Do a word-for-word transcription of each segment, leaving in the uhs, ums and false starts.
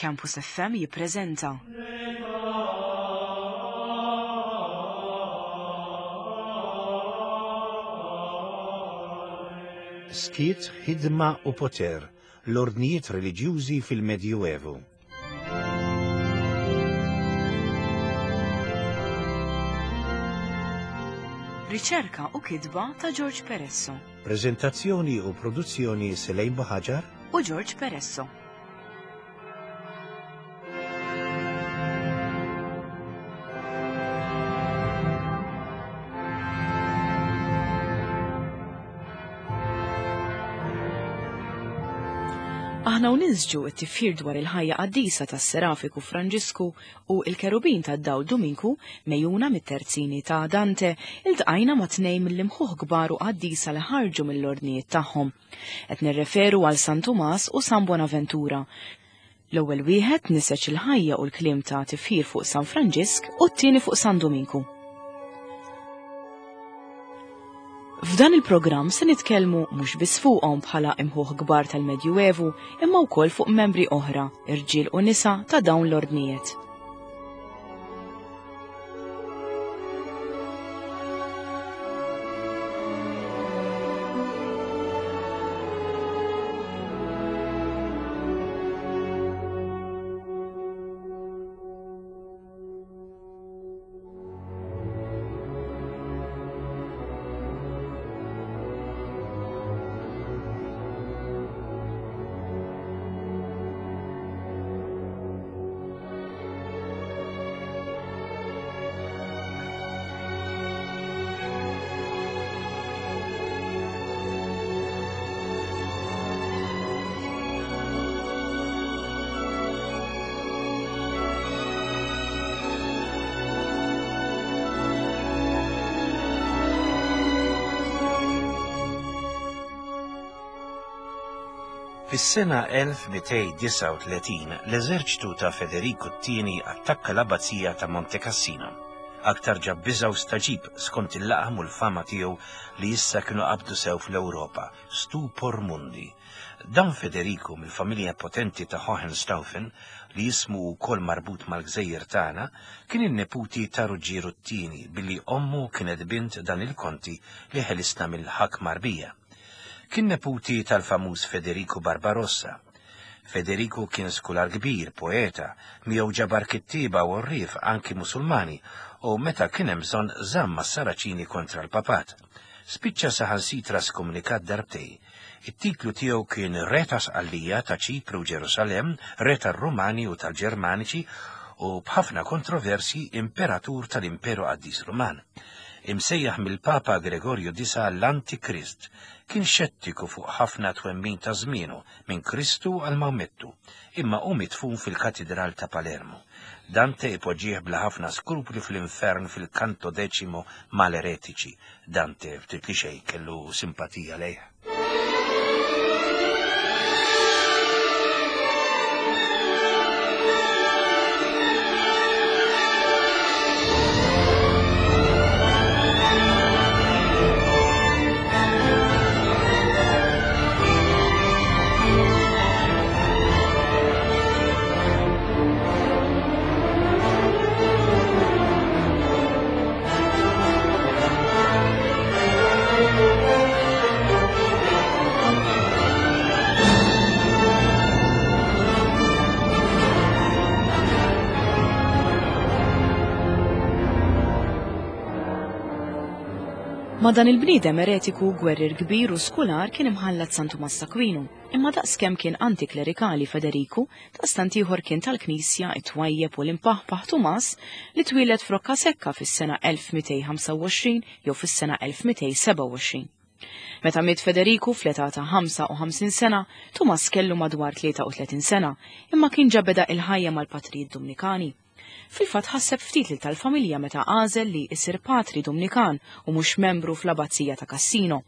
Campus F M jippreżenta Skiet, ħidma u poter, l-ordnijiet reliġjużi fil-Medjuevu. Riċerka u kitba ta' George Peresso. Prezentazzjoni u produzzjoni Selejn Buhaġar u George Peresso. Aħna u ninsġu t-tifħir dwar il-ħajja qaddisa tas-Serafiku Franġisku u il-Kerubin tad-Dawl Duminku mejjuna mit-terzini ta' Dante, iltqajna ma' tnejn mill-imħuħ kbar u qaddisa li ħarġu mill-ordnijiet tagħhom. Qed nirreferu għal San Tumas u San Bonaventura. L-ewwel wieħed niseġ il-ħajja u l-kliem ta' tifħir fuq San Franġisk u t-tieni fuq San Duminku. F'dan il-programm se nitkellmu mhux biss fuqhom bħala imħuħ kbar tal-Medjuevu, imma wkoll fuq membri oħra, irġiel u nisa ta' dawn l-ordnijiet. Fis-sena elf mitejn disgħa u tletin, l-eżerċtu ta' Federico t-tieni attakka l-abbazija ta' Monte Cassino. Aktar ġab biża' u staġib skont il-laqam u l-fama tiegħu li issa kienu qabdu sew fl-Ewropa, stupor mundi. Dan Federico mill-familja potenti ta' Hohenstaufen, li jismu wkoll marbut mal-gżejjer tagħna, kien in-neputi ta' Ruġġieru t-tieni billi ommu kienet bint dan il-konti li ħelisna mill-ħakma Arbija. Kien neputi tal-famuż Federico Barbarossa. Federico kien skular kbir, poeta, miegħu ġabar kittieba u rrif anki Musulmani, u meta kien hemm bżonn żamm mas-Saraċini kontra l-Papat. Spiċċa saħansitra skomunikat darbtej. It-titlu tiegħu kien Re ta' Sqallija ta' Ċipru u Ġerusalemm, Re tar-Rumani u tal-Ġermaniċi u b'ħafna kontroversji Imperatur tal-Imperu Qaddis Ruman. Imsejjaħ mill-Papa Gregorju disa l-Antikrist, kien xettiku fuq ħafna twemmin ta' żmienu minn Kristu għal Mawmettu, imma hu mitfun fil-Katidral ta' Palermo. Dante ipoġġih bla ħafna skrupli fl-infern fil-Canto Decimo mal-eretiċi. Dante ftit li xejn kellu simpatija lejh. Ma dan il-bniedem eretiku, gwerrier kbir u skular kien imħallat San Tumas Aquino, imma daqskemm kien antiklerikali Federiku, daqstant ieħor kien tal-Knisja it-twajjeb u l-impaħpaħ Tumas li twieled f'Rocca Secca fis-sena elf mitejn ħamsa u għoxrin jew fis-sena elf mitejn seba' u għoxrin. Meta miet Federiku fl-età ta' ħamsa u ħamsin sena, Tumas kellu madwar tlieta u tletin sena, imma kien ġa beda il-ħajja mal-patrijiet Dumnikani. Fil-fatt ħasseb ftit lil tal-familja meta għażel li jsir patri Dumnikan u mhux membru fl-abbazija ta' Cassino.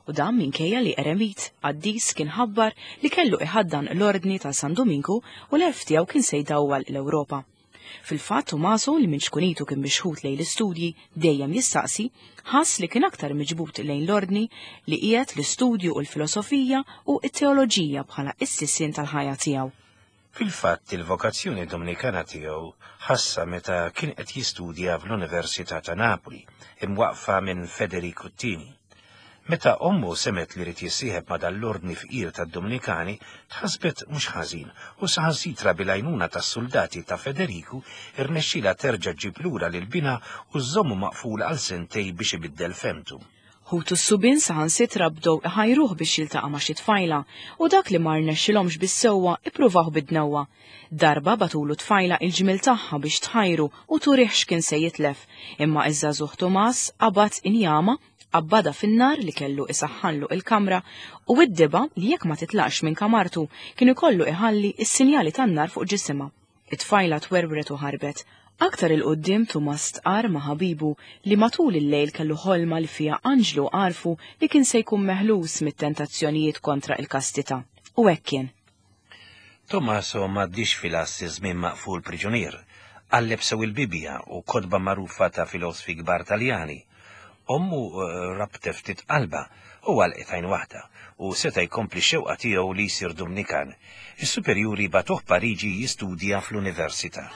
U dan minkejja li eremit qaddis kien ħabbar li kellu iħaddan l-ordni ta' San Duminku u l-għerf tiegħu kien se jdawwal l-Ewropa. Fil-fatt Tumaso li minn xkunitu kien mixħut lejn l-istudji dejjem jistaqsi, ħass li kien aktar miġbut lejn l-ordni li qiegħed l-istudju u l-filosofija u t-teoloġija bħala s-sisien tal-ħajja tiegħu. Fil-fatt il-vokazzjoni Dominikana tiegħu ħassa meta kien qed jistudja fl-Università ta' Napoli, imwaqfa minn Federico Tini. Meta ommu semet li rid jissieħeb ma' dal-ordni fqir tad-Dominikani, tħassbet mhux ħażin u saħansitra bil-għajnuna tas-soldati ta' Federiku irnexxila terġa' ġġib lura lil binha u żommu maqful għal sentej biex ibiddel femtu. Ħutu s-subien saħansitra bdew iħajruh biex jiltaqa' ma' xi tfajla u dak li ma rnexxilhomx bis-sewwa ippruvaw bid-dnewwa. Darba batulu tfajla il-ġmil tagħha biex tħajru u turih x'kien se jitlef, imma iż-żagħżugħ Tumas qabad injama, qabbada fin-nar li kellu isaħħanlu il-kamra u id-diba li jekk ma titlaqx minn kamartu kien ikollu iħalli s-sinjali tan-nar fuq ġisimha. It-tfajla twerwret u ħarbet. Aktar il-qoddim Tumas stqarr ma' ħabibu li matul il-lejl kellu ħolma li fiha anġlu għarfu li kien se jkun meħlus mit-tentazzjonijiet kontra il-kastità. U hekk kien. Tommaso m'għaddix fil-assi żmien maqful priġunier, qalleb sew il-Bibbja u kotba magħrufa ta' filosfi kbar Taljani. Ommu rabtet ftit qalba u għalqet għajn waħda u seta' jkompli x-xewqa tiegħu li jsir Dominikan. Is-superjuri bagħtuh Pariġi jistudja fl-università.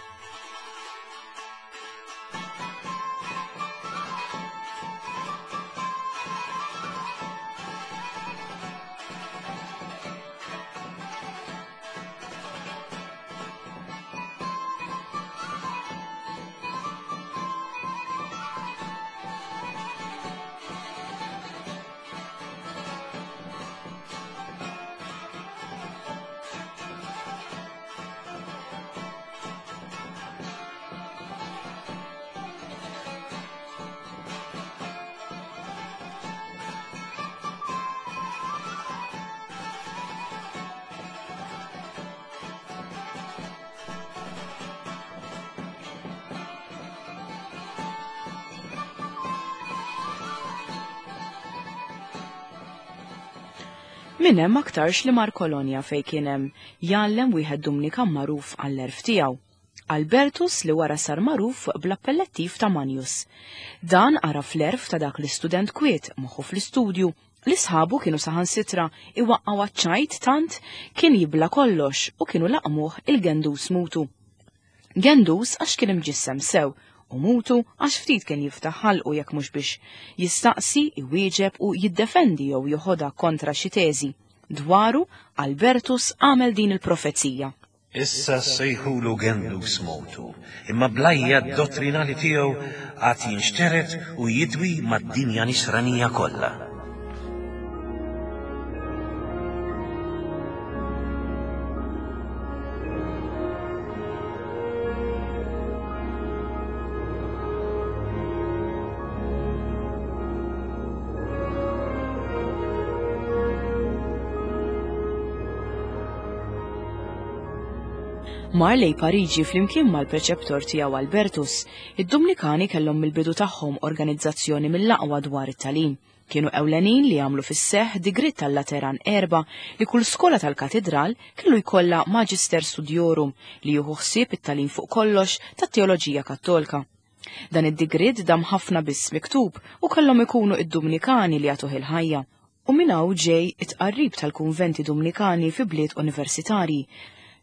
Minn hemm aktarx li mar Kolonja fejn kien hemm jgħallem wieħed Dumnikan magħruf għall-erf tiegħu, Albertus li wara sar magħruf bl-appellattiv ta' Manius. Dan għaraf l-erf ta' dak l-istudent kwiet moħħu fl-istudju li sħabu kienu saħansitra iwaqqgħu għaċ-ċajt tant kien jibla kollox u kienu laqmuh il-Gendus mutu. Gendus għax kien imġissem sew u mutu għax ftit kien jiftaħ ħalqu jekk mhux biex jistaqsi, iwieġeb u jiddefendi jew joħodha kontra xi teżi. Dwaru Albertus għamel din il-profezija. Issa sejħulu Gendus mutu, imma blajja d-dottrinali tiegħu għad jinxteret u jidwi mad-dinja nisranija kollha. Mar lej Pariġi flimkien mal-preċeptor tiegħu Albertus, id-Dominikani kellhom mill-bidu tagħhom organizzazzjoni mill-aqwa dwar it-tagħlim. Kienu ewlenin li għamlu fis-seħħ digriet tal-Lateran erba' li kull skola tal-katedral kellu jkollha Magister Studiorum li jieħu ħsieb it-tagħlim fuq kollox tat-teoloġija Kattolika. Dan id-digriet dam ħafna biss miktub u kellhom ikunu id-Dominikani li jagħtuh il-ħajja. U minn hawn ġej it-tqarrib tal-kunventi Dominikani fi bliet universitarji.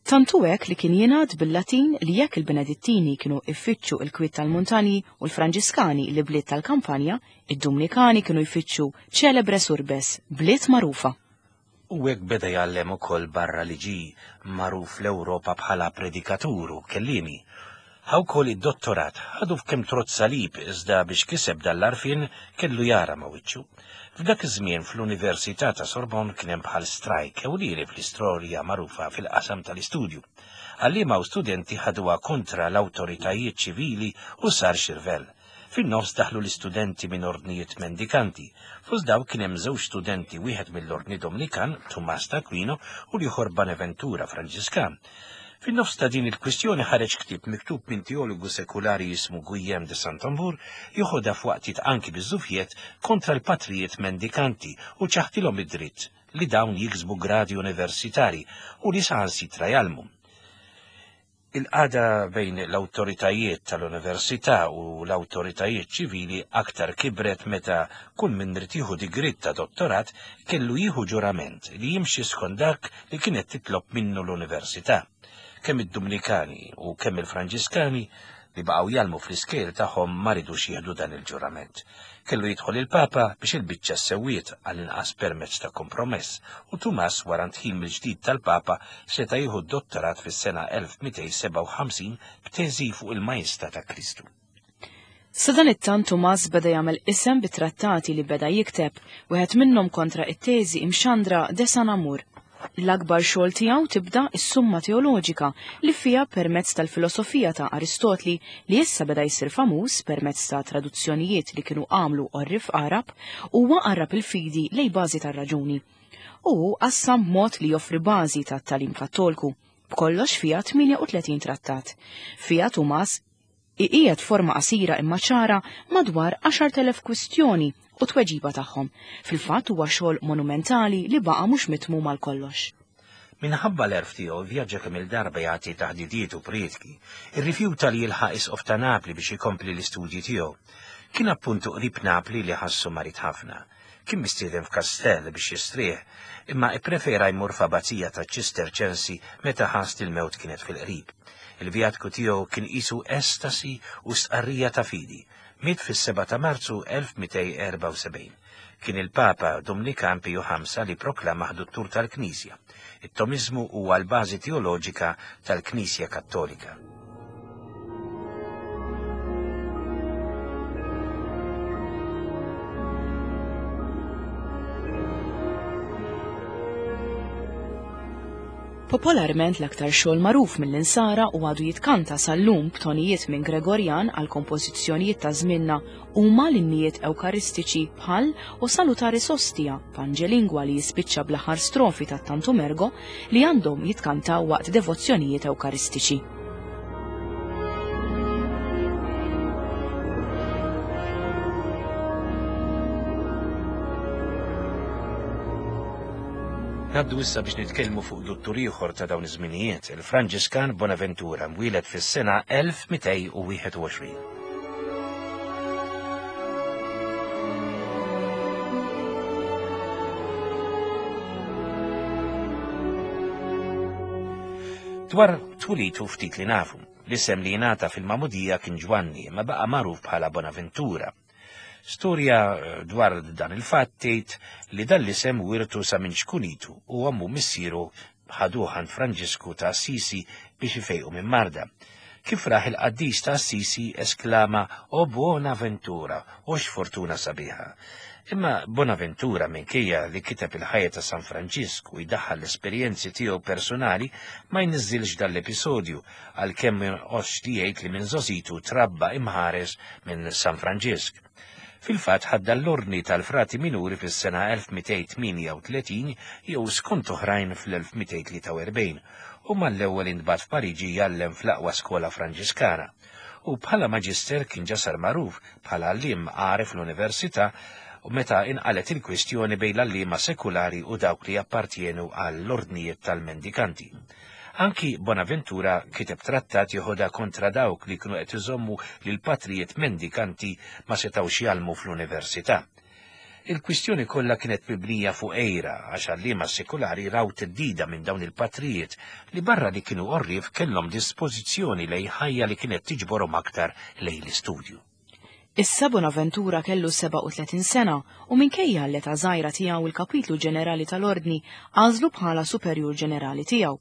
Tantu hekk li kien jingħad bil-Latin li jekk il-Benedittini kienu jfittxu il-kwiet tal-muntanji u l-Franġiskani li bliet tal-kampanja, id-Dominikani kienu jfittxu ċelebres urbes, bliet magħrufa. U hekk beda jgħallem ukoll barra li ġie magħruf l-Ewropa bħala predikatur u kellimi. Ħa wkoll id-dottorat ħadu f'kemm trott salib iżda biex kiseb dal-arfin kellu jara ma' wiċċu. F'dak iż-żmien fl-Università ta' Sorbonne kien hemm bħal strajk ewlieni fl-istorja magħrufa fil-qasam tal-istudju. Għalliema u studenti ħaduha kontra l-awtoritajiet ċivili u sar xirvel. Fin-nofs daħlu l-istudenti minn ordnijiet mendikanti. Fost daw kien hemm żewġ studenti, wieħed mill-Ordni Dominikan, Tumas d'Aquino, u l-ieħor Bonaventura Franġiskan. Fin-nofs ta' din il-kwistjoni ħareġ ktieb miktub minn teologu sekulari jismu Guillaume de Saint-Amour joħodha f'waqtiet anki biż-żufjiet kontra l-patrijiet mendikanti u ċaħtilhom id-dritt li dawn jiksbu gradi universitari u li saħansitra jgħallmu. Il-qagħda bejn l-awtoritajiet tal-università u l-awtoritajiet ċivili aktar kibret meta kull min rid jieħu digriet ta' dottorat kellu jieħu ġurament li jimxi skont dak li kienet titlob minnu l-università. Kemm id-Dumnikani u kemm il-Franġiskani li baqgħu jgħallmu fl-iskejjel tagħhom ma ridux jieħdu dan il-ġurament. Kellu jidħol il-Papa biex il-biċċa sewwiet għall-inqas permezz ta' kompromess, u Tumas wara ndħil mill-ġdid tal-Papa seta' jieħu d-dottorat fis-sena elf mitejn sebgħa u ħamsin b'teżi fuq il-Majestà ta' Kristu. Sadanittant Tumas beda jagħmel isem bit-trattati li beda jikteb, wieħed minnhom kontra it-teżi imxandra de San Amur. L-akbar xogħol tiegħu tibda s-Summa Teoloġika li fiha permezz tal-filosofija ta' Aristotli li issa beda jsir famuż permezz ta' traduzzjonijiet li kienu għamlu għorrif Arab, huwa qarrab il-fidi lej bażi tar-raġuni. U hu qassam b'mod li joffri bażi tat-tagħlim Kattolku. B'kollox fiha tmienja u tletin trattat. Fiha Tumas iqiegħed forma qasira imma ċara madwar għaxart elef kwistjoni u tweġiba tagħhom. Fil-fatt huwa xogħol monumentali li baqa' mhux mitmum għal kollox. Minħabba l-erf tiegħu vjaġġa kemm il-darba jagħti taħdidiet u prietki, irrifjuta li jilħaq isqof ta' Napli biex ikompli l-istudji tiegħu. Kien appuntu qrib Napli li ħassu marid ħafna. Kien mistieden f'kastell biex jistrieħ, imma ipprefera jmur f'abbazija ta' Ċisterċensi meta ħass li l-mewt kienet fil-qrib. Il-vjatku tiegħu kien qisu estasi u stqarrija ta' fidi. Miet fis-seba' ta' Marzu elf mitejn erbgħa u sebgħin. Kien il-Papa Dumnikan Piju ħamsa li proklama duttur tal-Knisja. It-Tomiżmu huwa l-bażi teoloġika tal-Knisja Kattolika. Popolarment l-aktar xogħol magħruf mill-insara u għadu jitkanta sal-lum b'tonijiet minn Gregorian għal kompożizzjonijiet ta' żmienna huma l-innijiet ewkaristiċi bħal O Salutaris Hostia, Pange Lingua li jispiċċa bl-aħħar strofi ta' Tantum Ergo li għandhom jitkantaw waqt devozzjonijiet ewkaristiċi. Ngħaddu issa biex nitkellmu fuq duttur ieħor ta' dawn iż-żminijiet, il-Franġiskan Bonaventura, mwieled fis-sena elf mitejn u wieħed u għoxrin. Dwar twilitu ftit li nafu, l-isem li jingħata fil-Magħmudija kien Ġwanni, ma baqa' magħruf bħala Bonaventura. Storja dwar dan il-fatt tgħid li dan l-isem wirtu sa minn xkunitu u għammu missieru ħaduh għand Franġisku ta' Assisi biex ifejqu minn marda. Kif raħ il-qaddis ta' Assisi esklama O Bonaventura, o x'fortuna sabiħa. Imma Bonaventura minkejja li kiteb il-ħajja ta' San Franġisku u jdaħħal l-esperjenzi tiegħu personali ma jniżżilx dan l-episodju għalkemm ma jonqosx li jgħid li minn żgħożitu trabba imħares minn San Franġisk. Fil-fatt ħadda l-ordni tal-frati minuri fis-sena elf mitejn tmienja u tletin jew skont oħrajn fl-elf mitejn tlieta u erbgħin u mal-ewwel intbagħat f'Pariġi jgħallem fl-aqwa skola Franġiskana. U bħala maġister kien ġa sar magħruf bħala għalliem għaref l-università u meta inqalet il-kwistjoni bejn l-għalliema sekulari u dawk li jappartjenu għall-ordnijiet tal-mendikanti. Anki Bonaventura kiteb trattat joħodha kontra dawk li kienu qed iżommu li l-patrijiet mendikanti ma setgħux jgħallmu fl-università. Il-kwistjoni kollha kienet mibnija fuq għejra għax għalliema sekulari raw theddida minn dawn il-patrijiet li barra li kienu għorrief kellhom dispożizzjoni lejn ħajja li kienet tiġborhom aktar lejn l-istudju. Issa Bonaventura kellu sebgħa u tletin sena u minkejja l-età żgħira tiegħu il-kapitlu ġenerali tal-Ordni għażlu bħala superjur ġenerali tiegħu.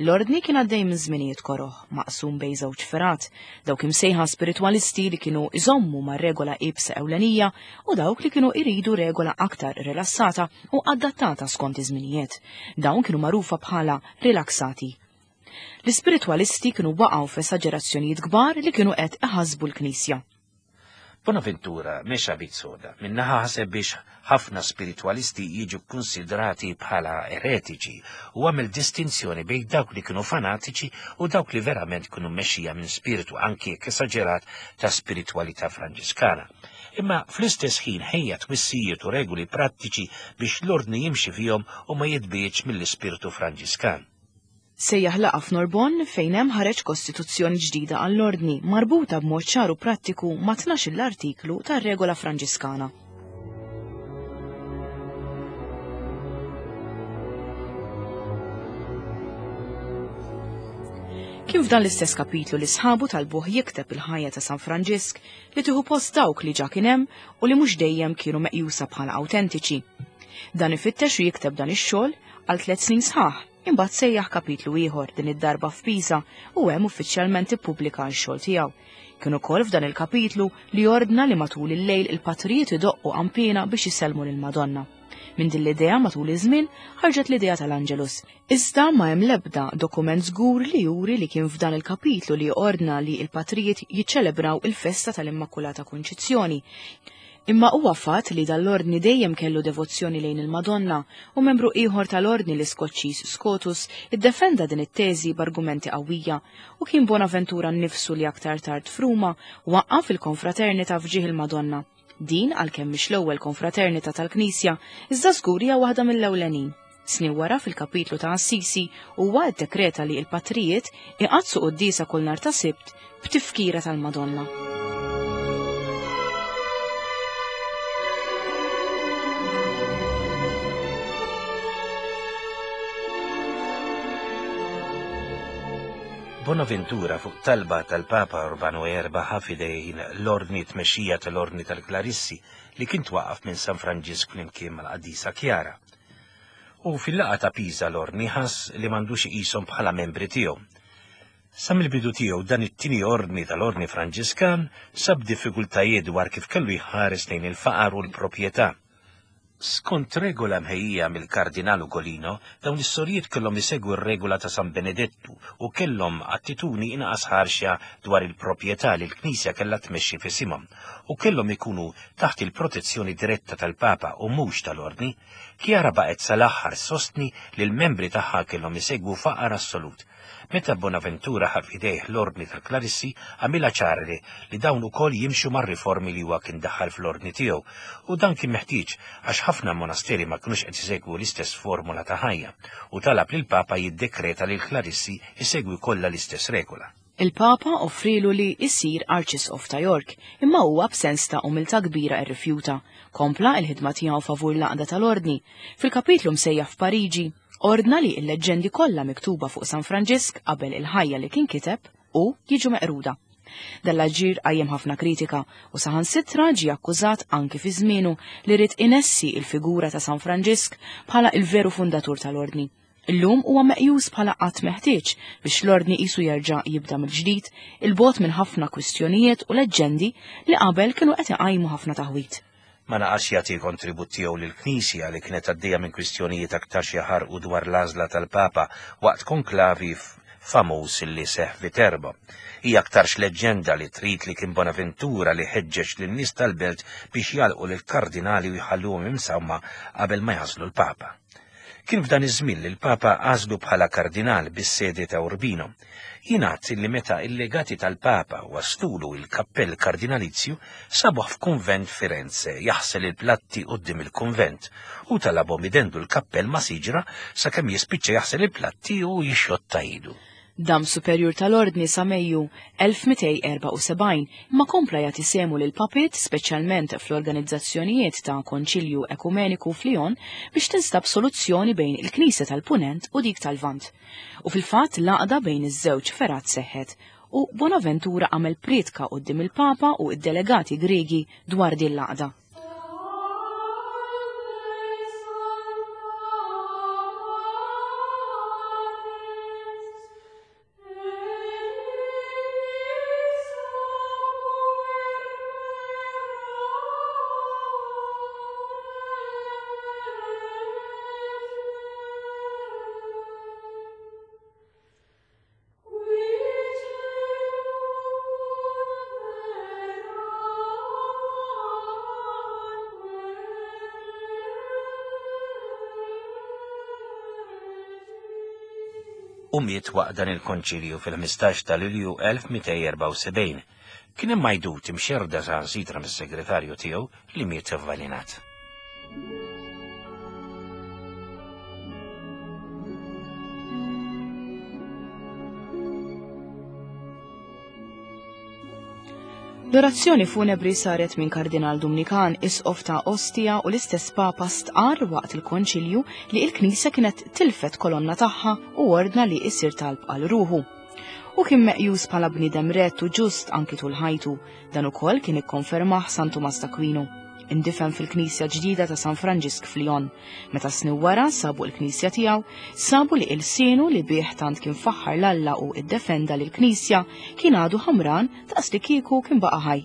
L-Ordni kien għaddej minn żminijiet koroh, maqsum bejn żewġ fergħat, dawk imsejħa spiritwalisti li kienu iżommu mar-regola iebsa ewlenija u dawk li kienu iridu regola aktar rilassata u adattata skont iż-żminijiet. Dawn kienu magħrufa bħala rilaksati. L-ispiritwalisti kienu waqgħu f'esaġerazzjonijiet kbar li kienu qed iħassbu l-Knisja. Bonaventura mexa bit soda, minnaħa ħaseb biex ħafna spiritwalisti jiġu konsidrati bħala eretiċi u għamel distinzjoni bejn dawk li kienu fanatiċi u dawk li verament kienu mmexxija minn spiritu anki jekk esaġerat ta' spiritwalità Franġiskana. Imma fl-istess ħin ħejja twissijiet u regoli prattiċi biex l-ordni jimxi fihom u ma jitbiegħx mill-ispirtu Franġiskan. Sejjaħ laqgħa f'Norbonne fejn hemm ħareġ kostituzzjoni ġdida għall-ordni marbuta b'mod ċar u prattiku ma' tnax-il artiklu tar-regola Franġiskana. Kien f'dan l-istess kapitlu li sħabu talbuh jikteb il-ħajja ta' San Franġisk li tieħu post dawk li ġa kien hemm u li mhux dejjem kienu meqjusa bħala awtentiċi. Dan ifittex u jikteb dan ix-xogħol għal tliet snin sħaħ, imbagħad sejjaħ kapitlu ieħor din id-darba f'Pisa u hemm uffiċjalment ippubblika x-xogħol tiegħu. Kien ukoll f'dan il-kapitlu li ordna li matul il-lejl il-patrijiet idoqqu qanpiena biex isellmu lill-Madonna. Minn din l-idea matul iż-żmien ħarġet l-idea tal-Angelus. Iżda ma hemm l-ebda dokument żgur li juri li kien f'dan il-kapitlu li ordna li l-patrijiet jiċċelebraw il-festa tal-Immakulata Kunċizzjoni. Imma huwa fatt li dal-ordni dejjem kellu devozzjoni lejn il-Madonna u membru ieħor tal-ordni l-Iskoċċiż Scotus iddefenda din it-teżi b'argumenti qawwija u kien Bonaventura nnifsu li aktar tard f'Ruma waqqaf il-konfraternita f'ġieħ il-Madonna. Din għalkemm mhix l-ewwel konfraternita tal-Knisja, iżda żgur hija waħda mill-ewlenin. Snin wara fil-kapitlu ta' Assisi huwa ddekreta li l-patrijiet iqaddsu quddiesa kull nhar ta' Sibt b'tifkira tal-Madonna. Bonaventura fuq talba tal-Papa Urbano erba' ħa f'idejn l-ordni tmexxija tal-Ordni tal-Klarissi li kien twaqqaf minn San Franġisk flimkien mal-Qaddisa Kjara. U fil-laqgħa ta' Pisa l-ordni ħass li m'għandux iqishom bħala membri tiegħu. Sa mill-bidu tiegħu dan it-tieni ordni tal-Ordni Franġiskan sab diffikultajiet dwar kif kellu jħares lejn il-faqar u l-proprjetà. Skont regola mħejjija mill-Kardinal Ugolino, dawn is-sorijiet kellhom isegwu r-regola ta' San Benedettu u kellhom attitudni inqas ħarxa dwar il-proprjetà li l-Knisja kellha tmexxi f'isimhom u kellhom ikunu taħt il-protezzjoni diretta tal-Papa u mhux tal-Ordni. Kjara baqgħet sal-aħħar sostni li l-membri tagħha kellhom isegwu faqar assolut. Meta Bonaventura ħa f'idejh l-Ordni tal-Klarissi, għamilha ċara li dawn ukoll jimxu mar-riformi li huwa kien daħħal fl-ordni tiegħu, u dan kien meħtieġ għax ħafna monasteri ma kinux qed isegwu l-istess formula ta' ħajja, u talab lil Papa jiddekreta li l-Klarissi isegwi kollha l-istess regola. Il-Papa offrilu li jsir Arċisqof ta' York, imma huwa b'sens ta' umiltà kbira rrifjuta. Kompla il-ħidma tiegħu favur l-għaqda tal-Ordni. Fil-kapitlu msejjaħ f'Pariġi, ordna li l-leġġendi kollha miktuba fuq San Franġisk qabel il-ħajja li kien kiteb u jiġu meqruda. Dan l-aġir qajjem ħafna kritika u saħansitra ġie akkużat anki fi żmienu li ried inessi il-figura ta' San Franġisk bħala il-veru fundatur tal-Ordni. Illum huwa meqjus bħala qatt meħtieġ biex l-ordni qisu jerġa' jibda mill-ġdid il-bogħod minn ħafna kwistjonijiet u leġġendi li qabel kienu qed iqajmu ħafna taħwit. Ma naqax jagħti kontribut tiegħu lill-Knisja li kienet għaddejja minn kwistjonijiet aktar xi ħarqu dwar l-għażla tal-Papa waqt konklavi famuż li seħħ Viterbo. Hija aktarx leġġenda li trid li kien Bonaventura li ħeġġeġ lin-nies tal-belt biex jalqu lill-kardinali u jħalluhom imsawma qabel ma jażlu l-Papa. Kien f'dan iż-żmien li l-Papa għażlu bħala kardinal bis-sede ta' Urbino. Jingħad li meta il-legati tal-Papa waslulu il-kappell kardinalizju sabuh f'kunvent Firenze jaħsel il-platti quddiem il-kunvent u talabhom idendu l-kappell ma' siġra sakemm jispiċċa jaħsel il-platti u jixxotta idu. Dam superjur tal-Ordni sa Mejju elf mitejn erbgħa u sebgħin imma kompla jagħti sehmu lil papiet speċjalment fl-organizzazzjonijiet ta' Konċilju Ekumeniku f'Lyon biex tinstab soluzzjoni bejn il-Knisja tal-Punent u dik tal-Lvant. U fil-fatt l-għaqda bejn iż-żewġ fergħat seħħet u Bonaventura għamel prietka quddiem il-Papa u d-delegati Griegi dwar din l-għaqda. U miet waqt dan il-konċilju fil-ħmistax ta' Lulju elf mitejn erbgħa u sebgħin. Kien hemm għajdut imxerda saħansitra mis-segretarju tiegħu li miet avvalenat. L-orazzjoni funebri saret minn Kardinal Dumnikan, isqof ta' Ostia, u l-istess Papa stqarr waqt il-konċilju li l-Knisja kienet tilfet kolonna tagħha u ordna li jsir talb għal ruħu. U kien meqjus bħala bniedem rett u ġust anki tul ħajtu. Dan ukoll kien ikkonfermah San Tumas t'Akwinu. Indifen fil-knisja ġdida ta' San Franġisk f'Lyon. Meta snin wara sabu l-knisja tiegħu, sabu li ilsienu li bih tant kien faħħar l-Alla u iddefenda lill-knisja kien għadu ħamran daqs li kieku kien baqa' ħaj.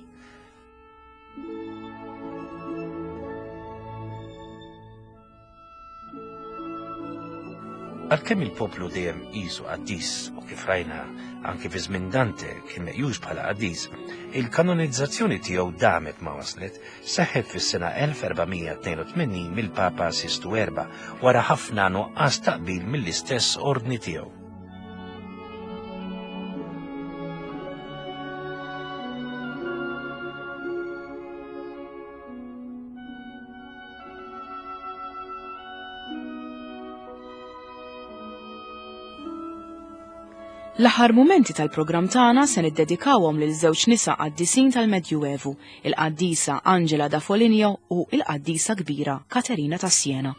Għalkemm il-poplu dejjem qisu qaddis u kif rajna anki fi żmien Dante kien meqjus bħala qaddis, il-kanonizzazzjoni tiegħu damet ma waslet, seħħet fis-sena elf erba' mija tnejn u tmenin mill-Papa Sistu Erba' wara ħafna nuqqas taqbil mill-istess ordni tiegħu. L-aħħar mumenti tal-programm tagħna se niddedikawhom lil żewġ nisa qaddisin tal-Medjuevu, il-qaddisa Angela da Foligno u il-qaddisa kbira Katerina ta' Siena.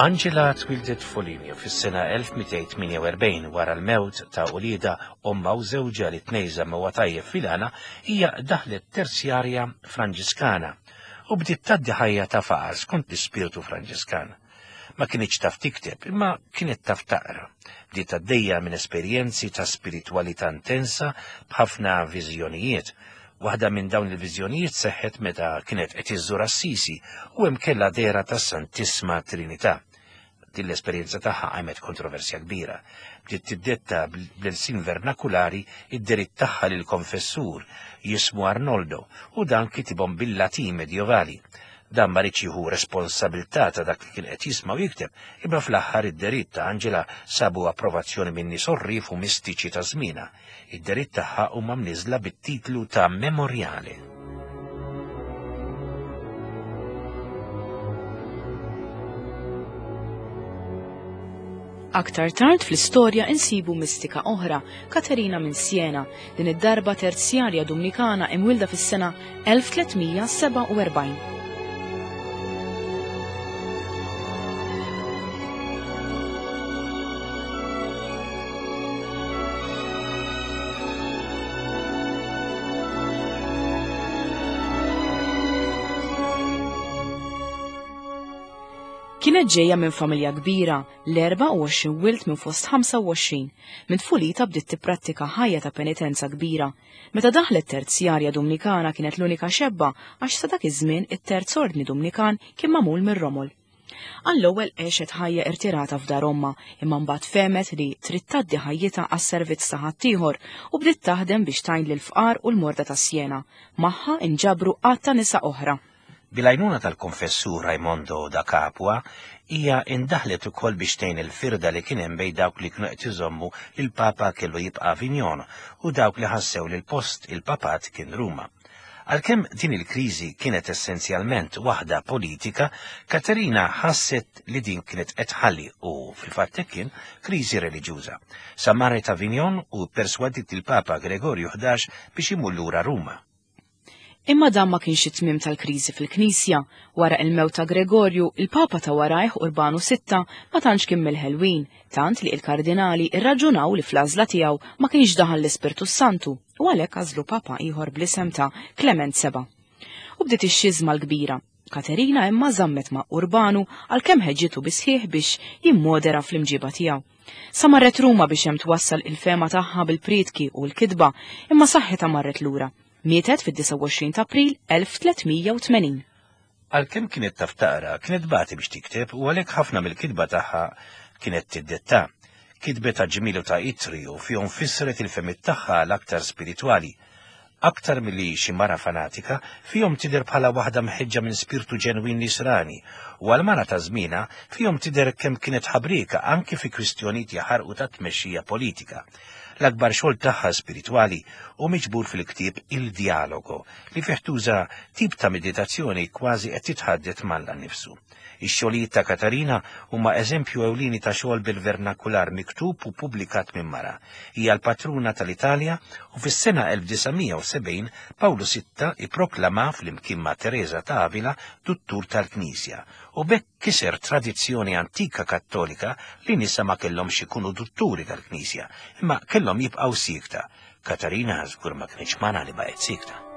Angela twildet Foligno fis-sena elf mitejn tmienja u erbgħin wara l-mewt ta' uliedha ommha u żewġha li tnejn żammew tajjeb filana, hija daħlet terzjarja Franġiskana u bdiet tgħaddi ħajja ta' faqar skont l-ispirtu Franġiskan. Ma kinitx taf tikteb, imma kienet taf taqra. Bdiet għaddejja minn esperjenzi ta' spiritwalità intensa b'ħafna viżjonijiet. Waħda minn dawn il-viżjonijiet seħħet meta kienet qed iżżur Assisi u hemm kellha dehra tas-Santissima Trinità. Din l-esperjenza tagħha qajmet kontroversja kbira. Bdiet tiddetta bl-ilsien vernakulari id-deritt tagħha lil konfessur jismu Arnoldo u dan kitibhom bil-Latin medjevali. Dan ma riedx jieħu responsabilità ta' dak li kien qed jisma' u jikteb, imma fl-aħħar id-deritt ta' Angela sabu approvazzjoni minn nies orrif u mistiċi ta' żmienha. Id-deritt tagħha huma mniżla bit-titlu ta' Memoriale. Aktar tard fl-istorja insibu mistika oħra, Katerina minn Siena, din id-darba terzjarja Dominikana imwilda fis-sena elf tlietmija sebgħa u erbgħin. Kienet ġejja minn familja kbira, l-erbgħa u għoxrin wild minn fost ħamsa u għoxrin. Minn tfulita bdiet tipprattika ħajja ta' penitenza kbira. Meta daħlet terzjarja Dominikana kienet l-unika xebba għax sa dak iż-żmien it-terz ordni Dominikan kien magħmul mir-romol. Għall-ewwel għexet ħajja irtirata f'dar ommha, imma mbagħad fehmet li trid tgħaddi ħajjitha għas-servizz ta' ħaddieħor u bdiet taħdem biex tgħin lill-fqar u l-morda ta' Siena. Magħha inġabru għadd ta' nisa oħra. Bil-għajnuna tal-konfessur Raimondo da Capua, hija indaħlet ukoll biex tgħin il-firda li kien hemm bejn dawk li kienu qed iżommu li l-Papa kellu jibqa' Avignon u dawk li ħassew li l-post il-papat kien Ruma. Għalkemm din il-kriżi kienet essenzjalment waħda politika, Katerina ħasset li din kienet qed tħalli u fil-fatt hekk kien kriżi reliġjuża. Sa marret Avignon u perswadit il-Papa Gregorju ħdax biex imur lura Ruma. Imma dan ma kienx it-tmiem tal-kriżi fil-Knisja. Wara il-mewt ta' Gregorju, il-Papa ta' warajh Urbanu sitta ma tantx kien mill-ħelwin, tant li l-kardinali irraġunaw li fl-għażla tiegħu ma kienx daħal l-Ispirtu Santu u għalhekk għażlu Papa ieħor bl-isem ta' Klement seba'. U bdiet ix-xiżma l-kbira. Katerina imma żammet ma' Urbanu għalkemm ħeġġitu bisħieħ biex jimmodera fl-imġiba tiegħu. Sa marret Ruma biex hemm twassal il-fema tagħha bil-prietki u l-kitba, imma saħħitha marret lura. Mietet fid-disgħa u għoxrin ta' April elf tlietmija u tmenin. Għalkemm kienet taf taqra, kienet bati biex tikteb u għalhekk ħafna mill-kitba tagħha kienet tiddetta. Kitbet ta' ġmielu ta' itri u fihom fissret il-femiet tagħha l-aktar spiritwali. Aktar milli xi mara fanatika, fihom tidher bħala waħda mħeġġa minn spirtu ġenwin nisrani, u għal mara ta' żmienha fihom tidher kemm kienet ħabrika anki fi kwistjonijiet jaħarqu ta' tmexxija politika. L-akbar xogħol tagħha spiritwali hu miġbur fil-ktieb Il Dialogo li fih tuża tip ta' meditazzjoni kważi qed titħaddet m'Alla nnifsu. Ix-xogħlijiet ta' Katarina huma eżempju ewlieni ta' xogħol bil-vernakular miktub u pubblikat minn mara. Hija l-patruna tal-Italja u fis-sena elf disa' mija u sebgħin Pawlu sitta ipproklama flimkien ma' Teresa ta' Avila duttur tal-Knisja u b'hekk kiser tradizzjoni antika kattolika li nisa ma kellhomx ikunu dutturi tal-Knisja, imma kellhom jibqgħu siekta. Katarina żgur ma kienx mara li baqgħet siekta.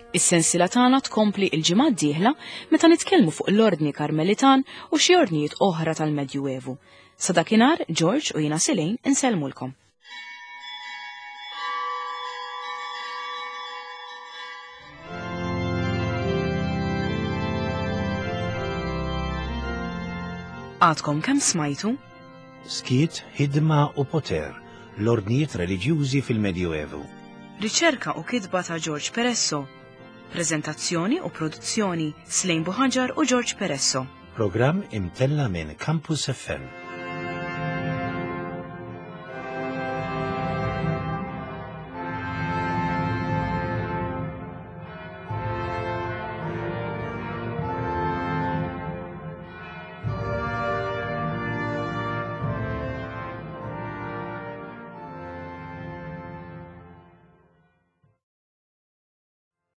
Is-sensila tagħna tkompli l-ġimgħa d-dieħla meta nitkellmu fuq l-Ordni Karmelitan u xi ordnijiet oħra tal-Medjuevu. Sa dakinhar, George u jiena Silejn insellmulkom. Għadkom kemm smajtu? Skiet, ħidma u poter, l-ordnijiet reliġjużi fil-Medjuevu. Riċerka u kitba ta' George Peresso. Prezentazzjoni u produzzjoni Slejn Buħaġar u George Peresso. Programm imtella minn Campus F M.